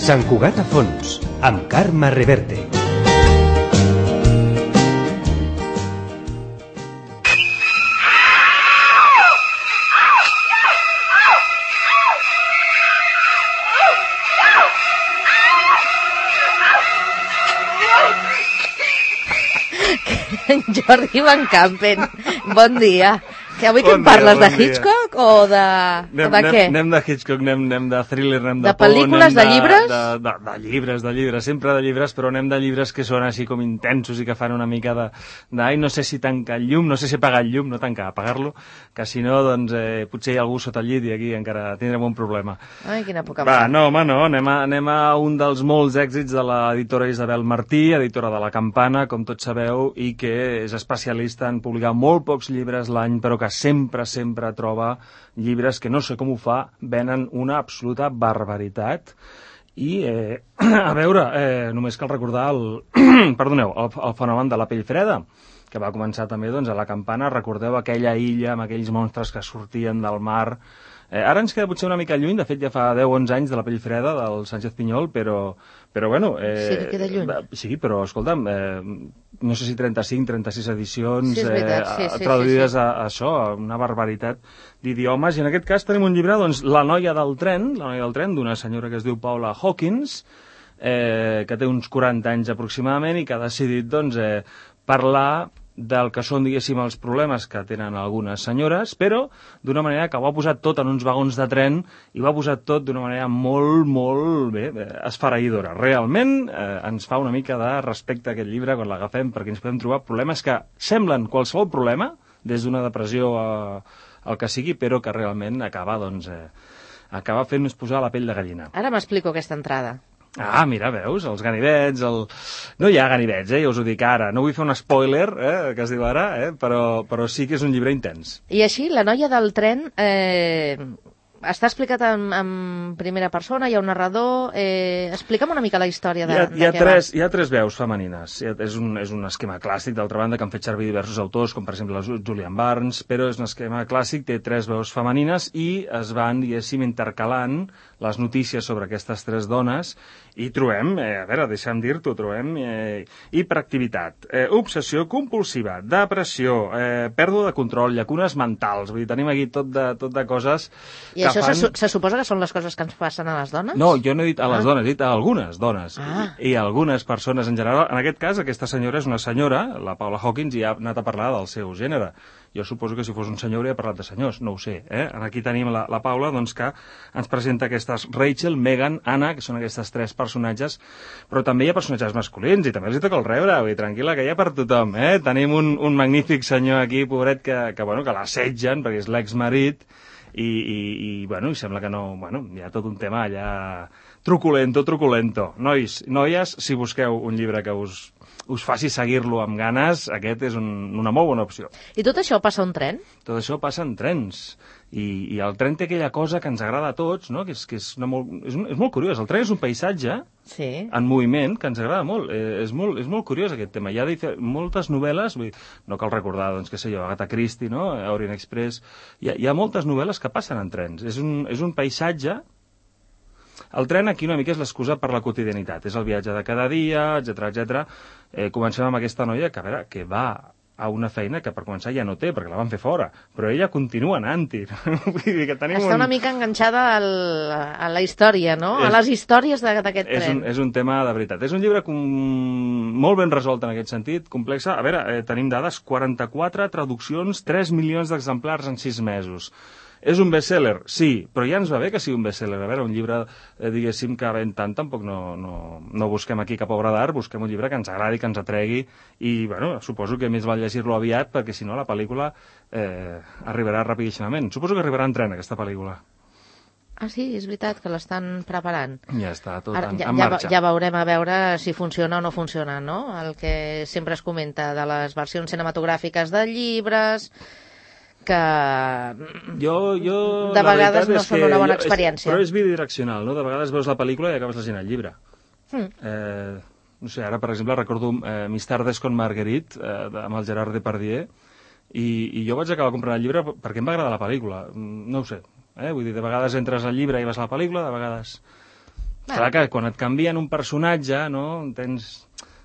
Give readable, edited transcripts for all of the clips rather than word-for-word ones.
Sant Cugat a fons, amb Carme Reverte. Jordi Van Campen, bon dia. Que avui que em parles de Hitchcock o de què? Anem de Hitchcock, anem de thriller, anem de por. De pel·lícules, de llibres? De llibres, sempre de llibres, però anem de llibres que són així com intensos i que fan una mica de... Ai, no sé si tancar el llum, no sé si apagar el llum, no tancar, apagar-lo, que si no, doncs, potser hi ha algú sota el llit i aquí encara tindrem un problema. Ai, quina poca mà. No, home, no, anem a un dels molts èxits de l'editora Isabel Martí, editora de La Campana, com tots sabeu, i que és especialista en publicar molt pocs llibres l'any, però que sempre troba llibres que no sé com ho fa, venen una absoluta barbaritat. I, a veure, només cal recordar el fenomen de la pell freda, que va començar també doncs, a La Campana. Recordeu aquella illa amb aquells monstres que sortien del mar. Ara ens queda potser una mica lluny, de fet ja fa 10-11 anys de la pell freda del Sánchez Pinyol, però bueno... sí que queda lluny. Sí, però escolta'm, no sé si 35-36 edicions sí, veritat, traduïdes a això, a una barbaritat d'idiomes, i en aquest cas tenim un llibre, doncs, La noia del tren, d'una senyora que es diu Paula Hawkins, que té uns 40 anys aproximadament i que ha decidit doncs, parlar del que són, diguéssim, els problemes que tenen algunes senyores, però d'una manera que ho ha posat tot en uns vagons de tren i ho ha posat tot d'una manera molt bé, esfereïdora. Realment ens fa una mica de respecte a aquest llibre quan l'agafem, perquè ens podem trobar problemes que semblen qualsevol problema, des d'una depressió al que sigui, però que realment acaba fent-nos posar la pell de gallina. Ara m'explico aquesta entrada. Ah, mira, veus, els ganivets, No hi ha ganivets, ja us ho dic ara. No vull fer un spoiler, que es diu ara, però sí que és un llibre intens. I així, La noia del tren està explicat en primera persona, hi ha un narrador... Explica'm una mica la història de què va. Hi ha tres veus femenines. És un esquema clàssic, d'altra banda, que han fet servir diversos autors, com per exemple Julian Barnes, però és un esquema clàssic, té tres veus femenines i es van, diguéssim, intercalant les notícies sobre aquestes tres dones i trobem, a veure, deixa'm dir-t'ho, trobem hiperactivitat, obsessió compulsiva, depressió, pèrdua de control, llacunes mentals, vull dir, tenim aquí tot de coses... I això se suposa que són les coses que ens passen a les dones? No, jo no he dit a les dones, he dit a algunes dones i a algunes persones en general. En aquest cas, aquesta senyora és una senyora, la Paula Hawkins, i ha anat a parlar del seu gènere. Jo suposo que si fos un senyor hauria parlat de senyors, no ho sé. Aquí tenim la Paula, doncs, que ens presenta aquestes Rachel, Megan, Anna, que són aquestes tres personatges, però també hi ha personatges masculins i també els hi toca el rebre, vull dir, tranquil·la, que hi ha per tothom. Tenim un magnífic senyor aquí, pobret, que l'assetgen, perquè és l'exmarit, i sembla que no... hi ha tot un tema allà truculento. Nois, noies, si busqueu un llibre que us faci seguir-lo amb ganes, aquest és una molt bona opció. I tot això passa a un tren? Tot això passa en trens. I el tren té aquella cosa que ens agrada a tots, no? que és molt curiós. El tren és un paisatge en moviment que ens agrada molt. És molt curiós aquest tema. Hi ha moltes novel·les, no cal recordar, doncs, què sé jo, Agatha Christie, no? Orient Express... Hi ha moltes novel·les que passen en trens. És un paisatge... El tren aquí una mica és l'excusa per la quotidianitat. És el viatge de cada dia, etc. Comencem amb aquesta noia que va a una feina que per començar ja no té, perquè la van fer fora, però ella continua anant-hi. Està una mica enganxada a la història, no? A les històries d'aquest tren. És un tema de veritat. És un llibre molt ben resolt en aquest sentit, complex. A veure, tenim dades, 44 traduccions, 3 milions d'exemplars en 6 mesos. És un best-seller? Sí, però ja ens va bé que sigui un best-seller. A veure, un llibre, diguéssim, que ven tant, tampoc no busquem aquí cap obra d'art, busquem un llibre que ens agradi, que ens atregui, i, suposo que més val llegir-lo aviat, perquè si no la pel·lícula arribarà rapidíssimament. Suposo que arribarà en tren, aquesta pel·lícula. Ah, sí, és veritat que l'estan preparant. Ja està tot en marxa. Ja veurem a veure si funciona o no funciona, no? El que sempre es comenta de les versions cinematogràfiques de llibres... que de vegades no són una bona experiència. Però és bidireccional, no? De vegades veus la pel·lícula i acabes llegint el llibre. No sé, ara, per exemple, recordo Mis tardes con Marguerite, amb el Gerard Depardieu, i jo vaig acabar comprant el llibre perquè em va agradar la pel·lícula. No ho sé. Vull dir, de vegades entres al llibre i vas a la pel·lícula, de vegades... Clar que quan et canvien un personatge, no,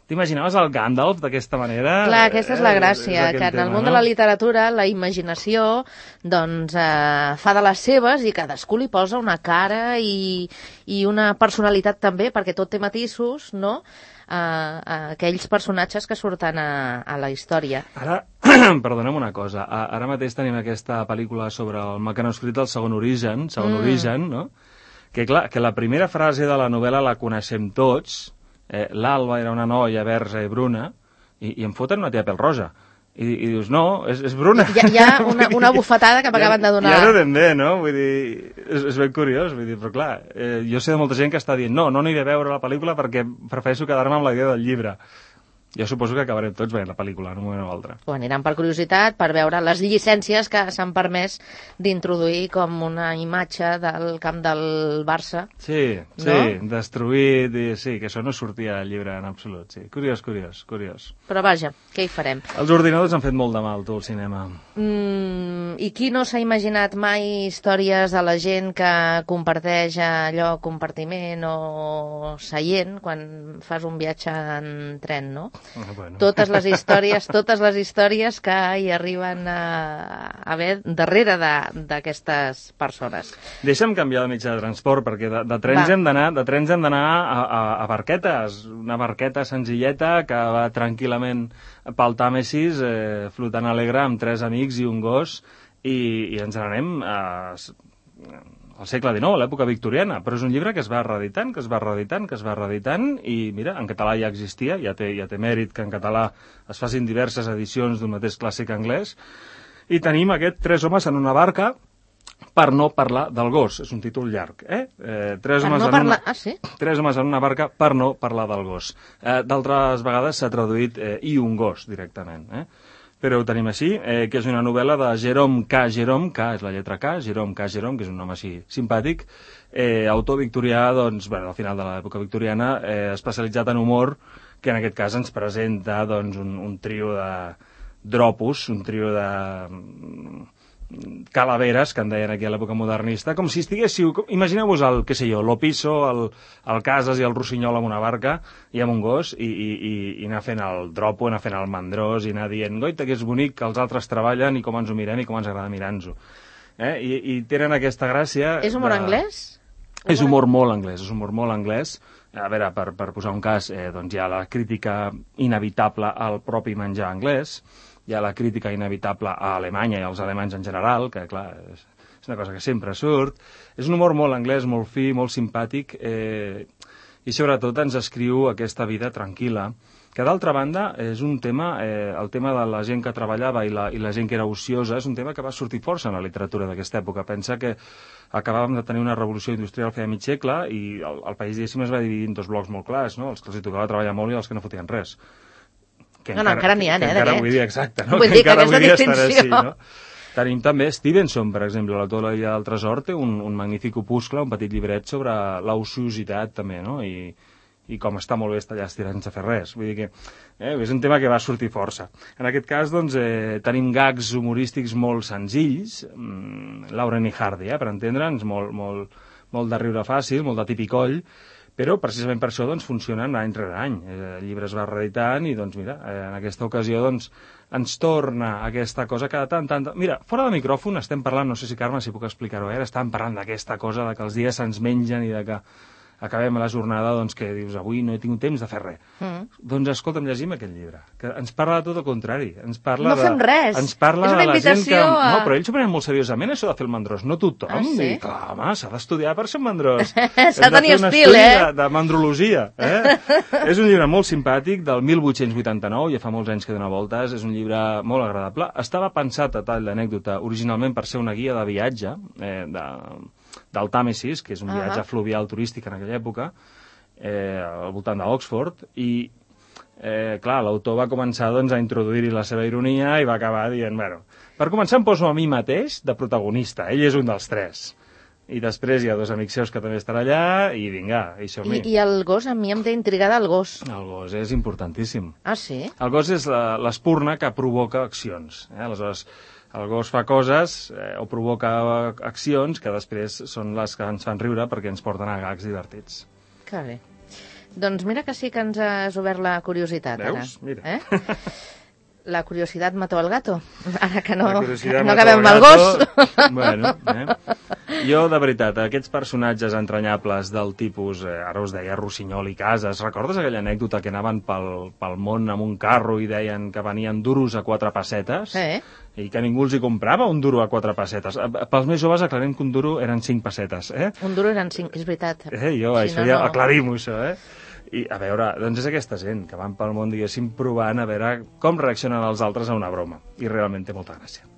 t'imaginaves el Gandalf d'aquesta manera? Clar, aquesta és la gràcia, que en el món de la literatura la imaginació doncs, fa de les seves i cadascú li posa una cara i una personalitat també, perquè tot té matisos, no?, aquells personatges que surten a la història. Ara, perdona'm una cosa, ara mateix tenim aquesta pel·lícula sobre el mecanoscrit del segon origen, no?, que clar, que la primera frase de la novel·la la coneixem tots. L'Alba era una noia verge i bruna, i em foten una tia pèl-roja. I dius, no, és bruna. Hi ha una bufetada que m'acaben de donar. Ja no ben bé, no? Vull dir, és ben curiós, vull dir, però clar, jo sé de molta gent que està dient no aniré a veure la pel·lícula perquè prefereixo quedar-me amb la idea del llibre. Jo suposo que acabarem tots veient la pel·lícula en un moment o altre. O aniran per curiositat, per veure les llicències que s'han permès d'introduir com una imatge del camp del Barça. Sí, no? Destruït, i sí, que això no sortia al llibre en absolut, sí. Curiós. Però vaja, què hi farem? Els ordinadors han fet molt de mal, tu, al cinema. I qui no s'ha imaginat mai històries de la gent que comparteix allò, compartiment o seient, quan fas un viatge en tren, no? Bueno. Totes les històries que hi arriben a haver darrere d'aquestes persones. Deixa'm canviar de mitjà de transport, perquè de trens hem d'anar a barquetes, una barqueta senzilleta que va tranquil·lament pel Tàmesis, flotant alegre amb 3 amics i un gos, i ens n'anem al segle XIX, a l'època victoriana, però és un llibre que es va reeditant, i mira, en català ja existia, ja té mèrit que en català es facin diverses edicions d'un mateix clàssic anglès, i tenim aquest 3 homes en una barca per no parlar del gos. És un títol llarg, Tres homes en una barca per no parlar del gos. D'altres vegades s'ha traduït i un gos, directament, però ho tenim així, que és una novel·la de Jerome K. K és la lletra K, Jerome K. que és un nom així simpàtic, autor victorià, doncs, al final de l'època victoriana, especialitzat en humor, que en aquest cas ens presenta doncs, un trio de dropos, un trio de calaveres, que en deien aquí a l'època modernista, com si estiguéssiu... Imagineu-vos l'Opiso, el Casas i el Rossinyol amb una barca i amb un gos, i anar fent el dropo, anar fent el mandrós, i anar dient, goita, que és bonic, que els altres treballen, i com ens ho mirem, i com ens agrada mirar-nos-ho. I tenen aquesta gràcia... És humor anglès? És humor molt anglès. A veure, per posar un cas, doncs hi ha la crítica inevitable al propi menjar anglès, hi ha la crítica inevitable a Alemanya i als alemanys en general, que, clar, és una cosa que sempre surt. És un humor molt anglès, molt fi, molt simpàtic, i sobretot ens escriu aquesta vida tranquil·la, que d'altra banda és un tema, el tema de la gent que treballava i la gent que era ociosa, és un tema que va sortir força en la literatura d'aquesta època. Pensa que acabàvem de tenir una revolució industrial feia mig segle i el país, diguéssim, es va dividir en 2 blocs molt clars, no? Els que els tocava treballar molt i els que no fotien res. Encara n'hi ha, encara vull dir, exacte, no? Vull dir que aquesta distinció. Així, no? Tenim també Stevenson, per exemple, l'autor de l'Illa del Tresor té un magnífic opuscle, un petit llibret sobre l'ociositat també, no? I com està molt bé estar allà estirant sense fer res. Vull dir que és un tema que va sortir força. En aquest cas, doncs, tenim gags humorístics molt senzills, Lauren i Hardy, per entendre'ns, molt de riure fàcil, molt de tipicoll, però precisament per això doncs, funcionen any rere any. El llibre es va reeditant i doncs, mira, en aquesta ocasió doncs, ens torna aquesta cosa cada tant. Mira, fora de micròfon estem parlant, no sé si Carme, si puc explicar-ho, estàvem parlant d'aquesta cosa, de que els dies se'ns mengen i de que acabem la jornada, doncs, que dius, avui no he tingut temps de fer res. Doncs, escolta'm, llegim aquest llibre, que ens parla de tot el contrari. Ens parla no fem res. Ens parla és una invitació de la gent que... No, però ells ho prenen molt seriosament, això de fer el mandrós. No tothom. Sí? I, clar, home, s'ha d'estudiar per ser un mandrós. S'ha de tenir estil, de mandrologia. És un llibre molt simpàtic, del 1889, ja fa molts anys que dona voltes, és un llibre molt agradable. Estava pensat, a tall d'anècdota, originalment per ser una guia de viatge, del Tàmesis, que és un viatge fluvial turístic en aquella època, al voltant d'Oxford, i clar, l'autor va començar doncs, a introduir-hi la seva ironia i va acabar dient, bueno, per començar em poso a mi mateix de protagonista, ell és un dels 3. I després hi ha 2 amics seus que també estan allà, i vinga, i som-hi. I el gos, a mi em té intrigada el gos. El gos és importantíssim. Ah, sí? El gos és l'espurna que provoca accions. Aleshores, el gos fa coses o provoca accions que després són les que ens fan riure perquè ens porten a gags divertits. Que bé. Doncs mira que sí que ens has obert la curiositat. Veus? Ara. Mira. La curiositat mató el gato. Ara que no mató acabem amb el el gos. Bueno, Jo, de veritat, aquests personatges entranyables del tipus, ara us deia Rossinyol i Casas, recordes aquella anècdota que anaven pel món amb un carro i deien que venien duros a 4 pessetes? I que ningú els hi comprava un duro a 4 pessetes. Pels més joves aclarem que un duro eren 5 pessetes, Un duro eren 5, és veritat. Aclarim-ho, això, I, a veure, doncs és aquesta gent que van pel món, diguéssim, provant a veure com reaccionen els altres a una broma. I realment té molta gràcia.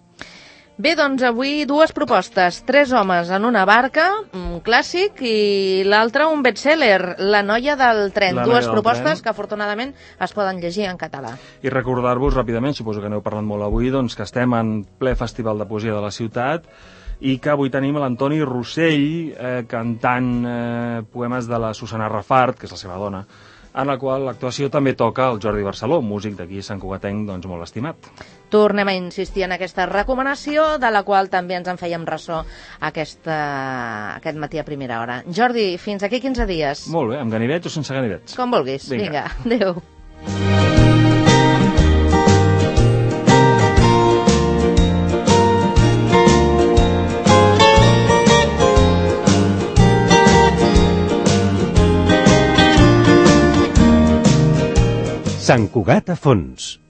Bé, doncs avui 2 propostes. 3 homes en una barca, un clàssic, i l'altre un best-seller, La noia del tren. 2 propostes que afortunadament es poden llegir en català. I recordar-vos ràpidament, suposo que n'heu parlat molt avui, doncs que estem en ple Festival de Poesia de la Ciutat i que avui tenim l'Antoni Rossell cantant poemes de la Susana Rafart, que és la seva dona, en la qual l'actuació també toca el Jordi Barceló, músic d'aquí Sant Cugatenc, doncs molt estimat. Tornem a insistir en aquesta recomanació, de la qual també ens en fèiem ressò aquest matí a primera hora. Jordi, fins aquí 15 dies. Molt bé, amb ganivets o sense ganivets? Com vulguis. Vinga, adéu. Sant Cugat a fons.